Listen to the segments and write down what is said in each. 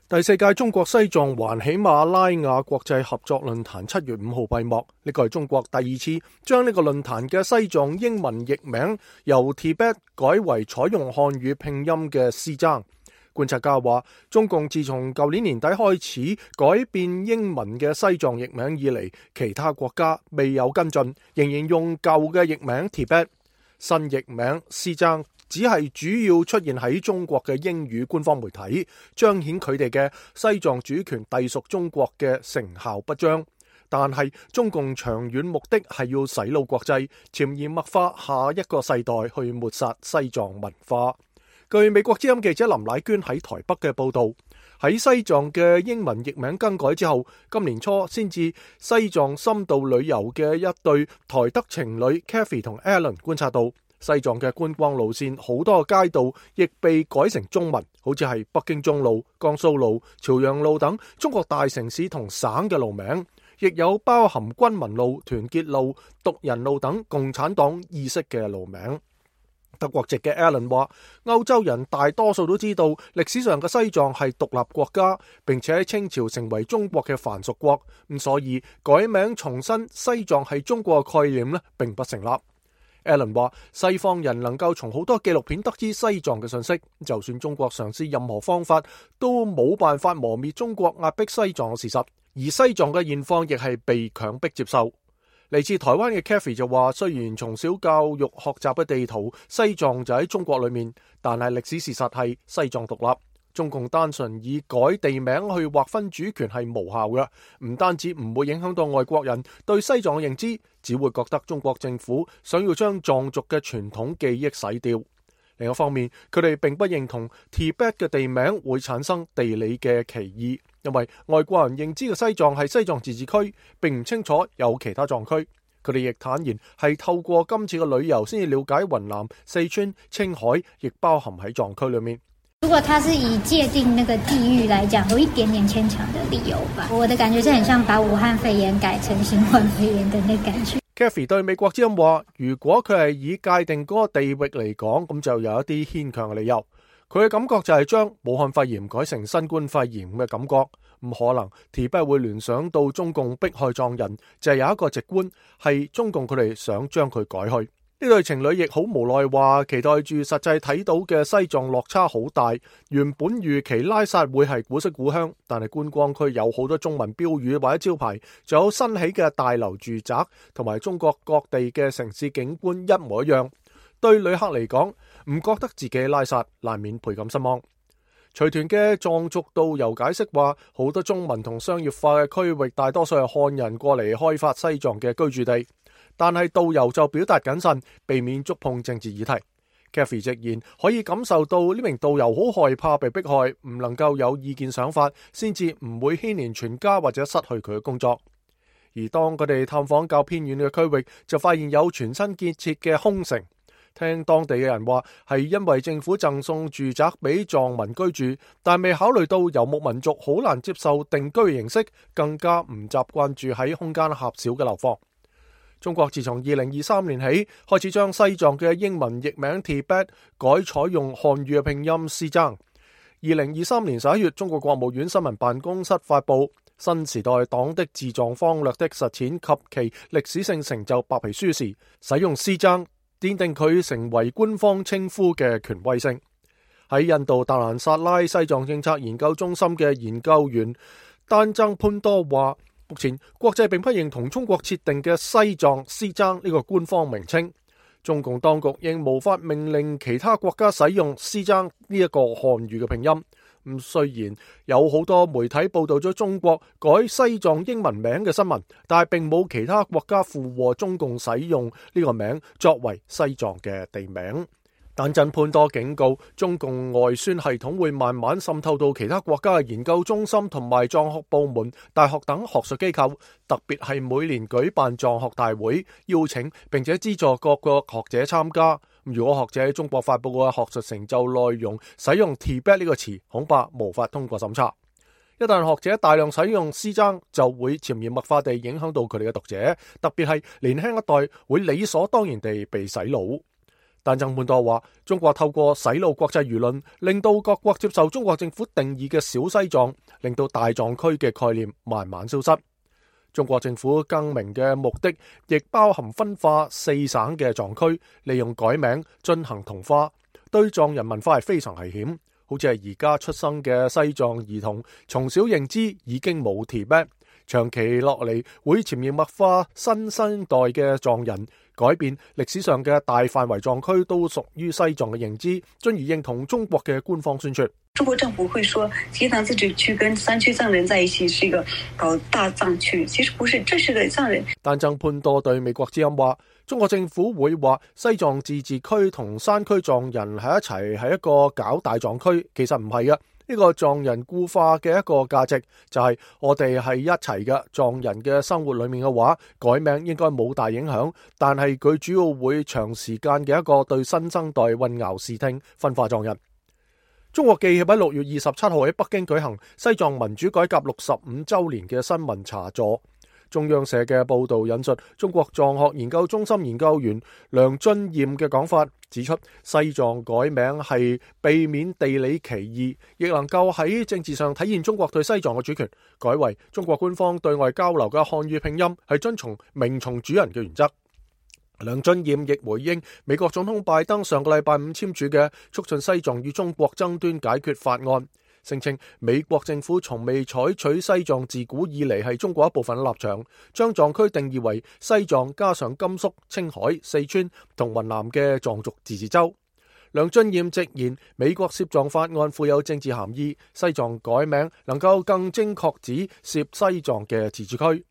第四屆中國西藏環喜馬拉雅國際合作論壇7月5號閉幕，呢個係中國第二次將呢個論壇嘅西藏英文譯名由 Tibet 改為採用漢語拼音嘅西藏。觀察家話，中共自從舊年年底開始改變英文嘅西藏譯名以嚟，其他國家未有跟進，仍然用舊嘅譯名 Tibet， 新譯名西藏只係主要出現喺中國嘅英語官方媒體，彰顯佢哋嘅西藏主權隸屬中國嘅成效不彰。但係中共長遠目的係要洗腦國際，潛移默化下一個世代去抹殺西藏文化。據美國之音記者林乃娟喺台北嘅報道，喺西藏嘅英文譯名更改之後，今年初先至西藏深度旅遊嘅一對台德情侶 Kathy 同 Alan 觀察到，西藏嘅觀光路線好多街道亦被改成中文，好似係北京中路、江蘇路、朝陽路等中國大城市同省嘅路名，亦有包含軍民路、團結路、獨人路等共產黨意識嘅路名。德國籍嘅 Alan 話，歐洲人大多數都知道歷史上嘅西藏係獨立國家，並且喺清朝成為中國嘅藩屬國，咁所以改名重申西藏係中國嘅概念呢，並不成立。Alan 話，西方人能夠從好多紀錄片得知西藏嘅信息，就算中國嘗試任何方法，都冇辦法磨滅中國壓迫西藏嘅事實，而西藏嘅現況亦係被強迫接受。嚟自台灣嘅 Kathy 就話，雖然從小教育學習嘅地圖西藏就喺中國裏面，但係歷史事實係西藏獨立。中共單純以改地名去劃分主權係無效嘅，唔單止唔會影響到外國人對西藏嘅認知，只會覺得中國政府想要將藏族嘅傳統記憶洗掉。另一方面，佢哋並不認同 Tibet 嘅地名會產生地理嘅歧義，因為外國人認知嘅西藏係西藏自治區，並唔清楚有其他藏區。佢哋亦坦言係透過今次嘅旅遊先至了解雲南、四川、青海亦包含喺藏區裏面。如果他是以界定那個地域來講，有一點點牽強的理由吧。我的感覺是很像把武漢肺炎改成新冠肺炎的那感覺。Kathy 對美國之音話，如果佢係以界定嗰個地域嚟講，咁就有一啲牽強嘅理由。佢嘅感覺就係將武漢肺炎改成新冠肺炎嘅感覺，唔可能 Tibet 會聯想到中共迫害藏人，就係有一個直觀係中共佢哋想將佢改去。呢對情侶亦好無奈話，期待住實際睇到嘅西藏落差好大。原本預期拉薩會係古色古香，但係觀光區有好多中文標語或者招牌，仲有新起嘅大樓住宅，同埋中國各地嘅城市景觀一模一樣。對旅客嚟講，唔覺得自己拉薩，難免倍感失望。隨團嘅藏族導遊解釋話，好多中文同商業化嘅區域，大多數係漢人過嚟開發西藏嘅居住地。但係導遊就表達謹慎，避免觸碰政治議題。Kathy 直言可以感受到呢名導遊好害怕被迫害，唔能夠有意見想法，先至唔會牽連全家或者失去佢嘅工作。而當佢哋探訪較偏遠嘅區域，就發現有全新建設嘅空城。聽當地嘅人話，係因為政府贈送住宅俾藏民居住，但未考慮到游牧民族好難接受定居形式，更加唔習慣住喺空間狹小嘅樓房。中國自從2023年起開始將西藏嘅英文譯名 Tibet 改採用漢語嘅拼音西藏。2023年11月，中國國務院新聞辦公室發布《新時代黨的治藏方略的實踐及其歷史性成就》白皮書時，使用西藏奠定佢成為官方稱呼嘅權威性。喺印度達蘭薩拉西藏政策研究中心嘅研究員丹增潘多話，目前國際並不認同中國設定嘅西藏西藏呢個官方名稱，中共當局應無法命令其他國家使用西藏呢一個漢語嘅拼音。雖然有好多媒體報道咗中國改西藏英文名嘅新聞，但係並冇其他國家附和中共使用呢個名作為西藏嘅地名。丹增潘多警告，中共外宣系統會慢慢滲透到其他國家嘅研究中心同埋藏學部門、大學等學術機構，特別係每年舉辦藏學大會，邀請並且資助各個學者參加。如果學者喺中國發佈嘅學術成就內容使用 Tibet 呢個詞，恐怕無法通過審查。一旦學者大量使用西藏，就會潛移默化地影響到佢哋嘅讀者，特別係年輕一代會理所當然地被洗腦。但曾半多話，中國透過洗腦國際輿論，令到各國接受中國政府定義嘅小西藏，令到大藏區嘅概念慢慢消失。中國政府更名嘅目的，亦包含分化4省嘅藏區，利用改名進行同化，對藏人文化係非常危險。好似係而家出生嘅西藏兒童，從小認知已經冇鐵筆，長期落嚟會潛移默化新生代嘅藏人，改變歷史上嘅大範圍藏區都屬於西藏嘅認知，進而認同中國嘅官方宣傳。中國政府會說西藏自治區跟山區藏人在一起是一個搞大藏區，其實不是，這是個藏人。但曾潘多對美國之音話，中國政府會話西藏自治區同山區藏人喺一齊係一個搞大藏區，其實唔係嘅。呢個藏人固化嘅一個價值就係我哋係一齊嘅。藏人嘅生活裏面嘅話，改名應該冇大影響，但係佢主要會長時間嘅一個對新生代混淆視聽，分化藏人。中國記協喺6月27號喺北京舉行西藏民主改革65週年嘅新聞茶座。中央社嘅報導引述中國藏學研究中心研究員梁俊彥嘅講法，指出西藏改名係避免地理歧義，亦能夠喺政治上體現中國對西藏嘅主權，改為中國官方對外交流嘅漢語拼音係遵從名從主人嘅原則。梁俊彥亦回應美國總統拜登上個禮拜5簽署嘅促進西藏與中國爭端解決法案，聲稱美國政府從未採取西藏自古以嚟係中國一部分嘅立場，將藏區定義為西藏加上甘肅、青海、四川同雲南嘅藏族自治州。梁俊彥直言，美國涉藏法案富有政治含義，西藏改名能夠更精確指涉西藏嘅自治區。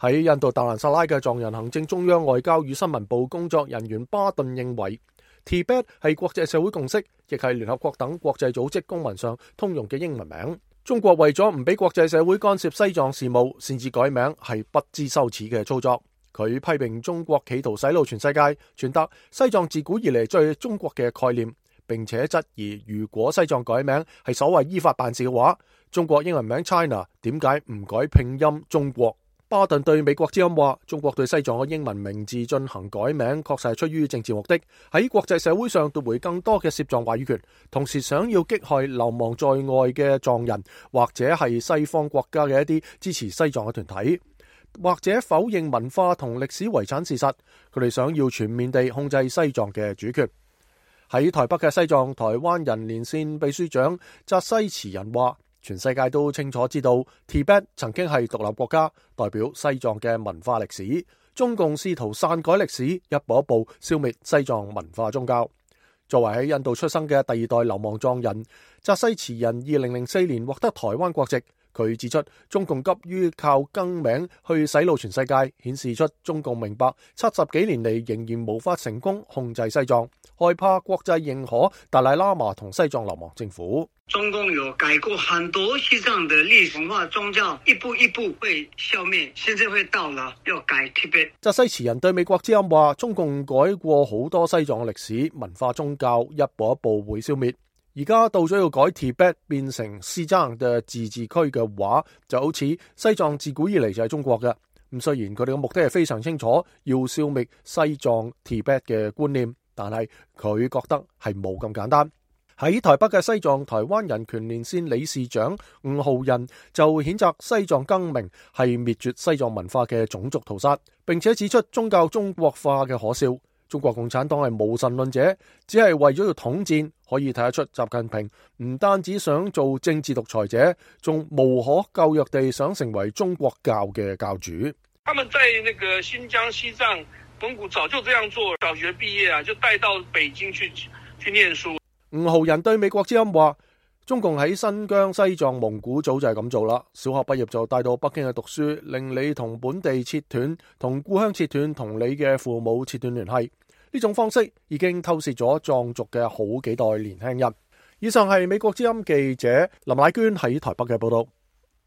喺印度達蘭薩拉嘅藏人行政中央外交與新聞部工作人員巴頓認為，Tibet 係國際社會共識，亦係聯合國等國際組織公文上通用嘅英文名。中國為咗唔俾國際社會干涉西藏事務，擅自改名係不知羞恥嘅操作。佢批評中國企圖洗腦全世界，傳達西藏自古以嚟最中國嘅概念，並且質疑如果西藏改名係所謂依法辦事嘅話，中國英文名 China 點解唔改拼音中國？巴頓對美國之音話，中國對西藏嘅英文名字進行改名，確實係出於政治目的，喺國際社會上奪回更多嘅涉藏話語權，同時想要擊害流亡在外嘅藏人，或者係西方國家嘅一啲支持西藏嘅團體，或者否認文化同歷史遺產事實，佢哋想要全面地控制西藏嘅主權。喺台北嘅西藏台灣人連線秘書長扎西慈仁話，全世界都清楚知道 Tibet 曾經係獨立國家，代表西藏嘅文化歷史。中共試圖篡改歷史，一步一步消滅西藏文化宗教。作為喺印度出生嘅第2代流亡藏人，扎西慈仁2004年獲得台灣國籍。佢指出，中共急於靠更名去洗腦全世界，顯示出中共明白70幾年嚟仍然無法成功控制西藏，害怕國際認可達賴喇嘛同西藏流亡政府。中共有改過很多西藏的歷史文化宗教，一步一步會消滅，現在會到了要改 Tibet。扎西慈仁對美國之音話，中共改過好多西藏嘅歷史文化宗教，一步一步會消滅。而家到咗要改 Tibet 變成西藏嘅自治區嘅話，就好似西藏自古以嚟就係中國嘅。咁雖然佢哋嘅目的係非常清楚，要消滅西藏 Tibet 嘅觀念，但係佢覺得係冇咁簡單。喺台北嘅西藏台灣人權連線理事長吳浩仁就譴責西藏更名係滅絕西藏文化嘅種族屠殺，並且指出宗教中國化嘅可笑。中國共產黨係無神論者，只係為咗要統戰，可以睇得出習近平唔單止想做政治獨裁者，仲無可救藥地想成為中國教嘅教主。他們在那個新疆、西藏、蒙古早就這樣做，小學畢業啊就帶到北京去念書。吳浩仁對美國之音話，中共喺新疆、西藏、蒙古早就係咁做啦。小學畢業就帶到北京去讀書，令你同本地切斷，同故鄉切斷，同你嘅父母切斷聯繫。呢種方式已經透視咗藏族嘅好幾代年輕人。以上係美國之音記者林乃娟喺台北嘅報道。